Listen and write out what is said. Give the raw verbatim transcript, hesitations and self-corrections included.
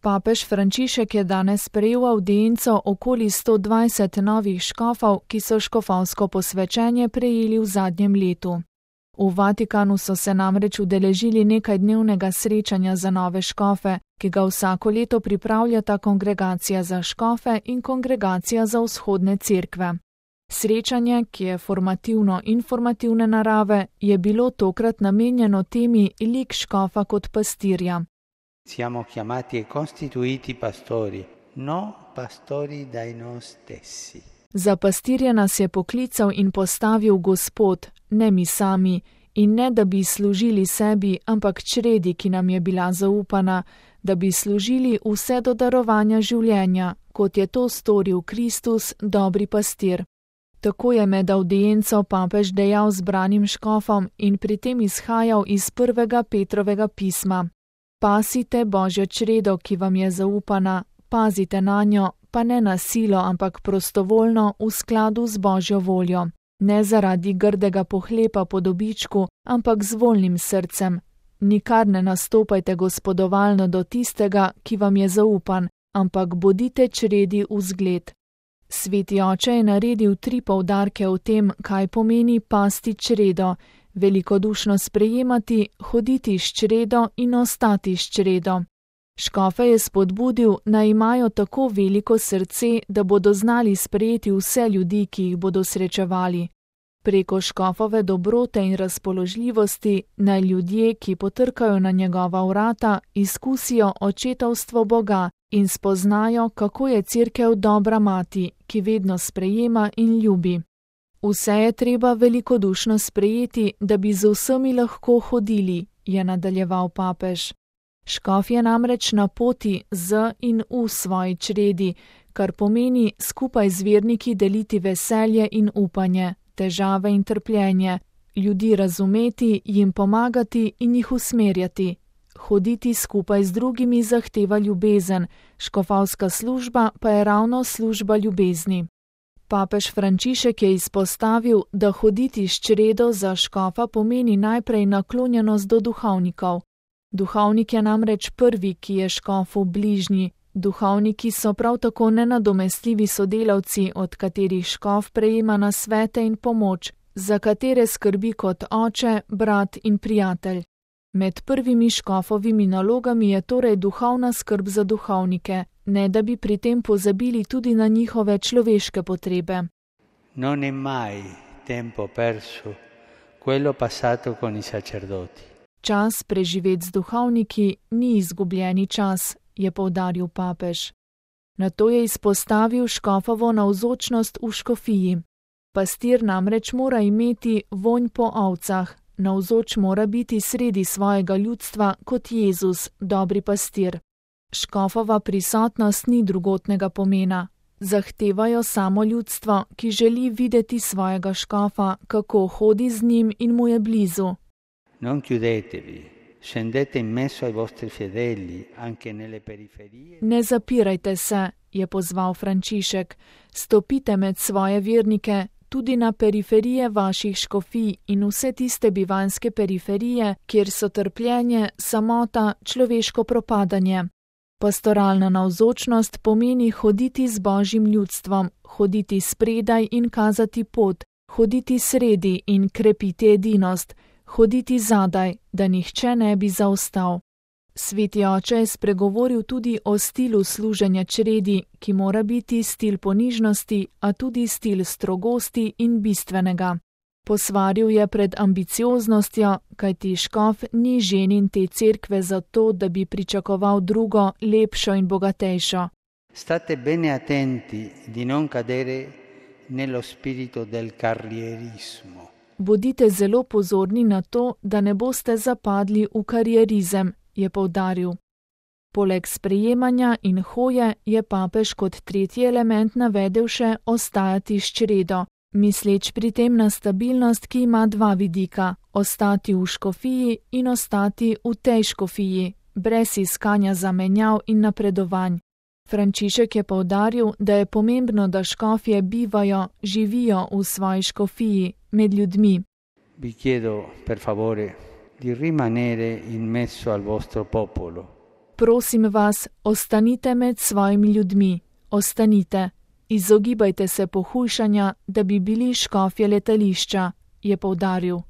Papež Frančišek je danes sprejel avdienco okoli sto dvajset novih škofov, ki so škofovsko posvečenje prejeli v zadnjem letu. V Vatikanu so se namreč udeležili nekajdnevnega srečanja za nove škofe, ki ga vsako leto pripravljata Kongregacija za škofe in Kongregacija za vzhodne cerkve. Srečanje, ki je formativno-informativne narave, je bilo tokrat namenjeno temi lik škofa kot pastirja. Siamo chiamati e costituiti pastori, no pastori dai noi stessi. Za pastirje nas je poklical in postavil Gospod, ne mi sami, in ne da bi služili sebi, ampak čredi, ki nam je bila zaupana, da bi služili vse do darovanja življenja, kot je to storil Kristus, dobri pastir. Tako je med avdienco papež dejal zbranim škofom in pri tem izhajal iz prvega Petrovega pisma. Pasite Božjo čredo, ki vam je zaupana, pazite nanjo, pa ne na silo, ampak prostovoljno v skladu z Božjo voljo. Ne zaradi grdega pohlepa po dobičku, ampak z voljnim srcem. Nikar ne nastopajte gospodovalno do tistega, ki vam je zaupan, ampak bodite čredi v zgled. Sveti oče je naredil tri poudarke o tem, kaj pomeni pasti čredo, velikodušno sprejemati, hoditi s čredo in ostati s čredo. Škofe je spodbudil, naj imajo tako veliko srce, da bodo znali sprejeti vse ljudi, ki jih bodo srečevali. Preko škofove dobrote in razpoložljivosti naj ljudje, ki potrkajo na njegova vrata, izkusijo očetovstvo Boga in spoznajo, kako je cerkev dobra mati, ki vedno sprejema in ljubi. Vse je treba velikodušno sprejeti, da bi z vsemi lahko hodili, je nadaljeval papež. Škof je namreč na poti z in v svoji čredi, kar pomeni skupaj z verniki deliti veselje in upanje, težave in trpljenje, ljudi razumeti, jim pomagati in jih usmerjati. Hoditi skupaj z drugimi zahteva ljubezen, škofovska služba pa je ravno služba ljubezni. Papež Frančišek je izpostavil, da hoditi s čredo za škofa pomeni najprej naklonjenost do duhovnikov. Duhovnik je namreč prvi, ki je škofu bližnji. Duhovniki so prav tako nenadomestljivi sodelavci, od katerih škof prejema nasvete in pomoč, za katere skrbi kot oče, brat in prijatelj. Med prvimi škofovimi nalogami je torej duhovna skrb za duhovnike, ne da bi pri tem pozabili tudi na njihove človeške potrebe. Non è mai tempo perso quello passato con i sacerdoti. Čas preživet z duhovniki ni izgubljeni čas, je poudaril papež. Nato je izpostavil škofovo navzočnost v škofiji. Pastir namreč mora imeti vonj po ovcah, navzoč mora biti sredi svojega ljudstva kot Jezus, dobri pastir. Škofova prisotnost ni drugotnega pomena. Zahtevajo samo ljudstvo, ki želi videti svojega škofa, kako hodi z njim in mu je blizu. Non chiudetevi, scendete in mezzo ai vostri fedeli, anche nelle periferie. Ne zapirajte se, je pozval Frančišek, stopite med svoje vernike, tudi na periferije vaših škofij in vse tiste bivanske periferije, kjer so trpljenje, samota, človeško propadanje. Pastoralna navzočnost pomeni hoditi z Božjim ljudstvom, hoditi spredaj in kazati pot, hoditi sredi in krepiti edinost, hoditi zadaj, da nihče ne bi zaostal. Sveti oče je spregovoril tudi o stilu služenja čredi, ki mora biti stil ponižnosti, a tudi stil strogosti in bistvenega. Posvaril je pred ambicioznostjo, kajti škof ni ženin te cerkve zato, da bi pričakoval drugo, lepšo in bogatejšo. State bene attenti di non cadere nello spirito del carrierismo. Bodite zelo pozorni na to, da ne boste zapadli v karierizem, je poudaril. Poleg sprejemanja in hoje je papež kot tretji element navedel še ostajati s čredo, misleč pri tem na stabilnost, ki ima dva vidika, ostati v škofiji in ostati v tej škofiji, brez iskanja zamenjav in napredovanj. Frančišek je poudaril, da je pomembno, da škofje bivajo, živijo v svoji škofiji, med ljudmi. Vi chiedo, per favore, di rimanere in mezzo al vostro popolo. Prosim vas, ostanite med svojimi ljudmi, ostanite. Izogibajte se pohujšanja, da bi bili škofje letališča, je poudaril.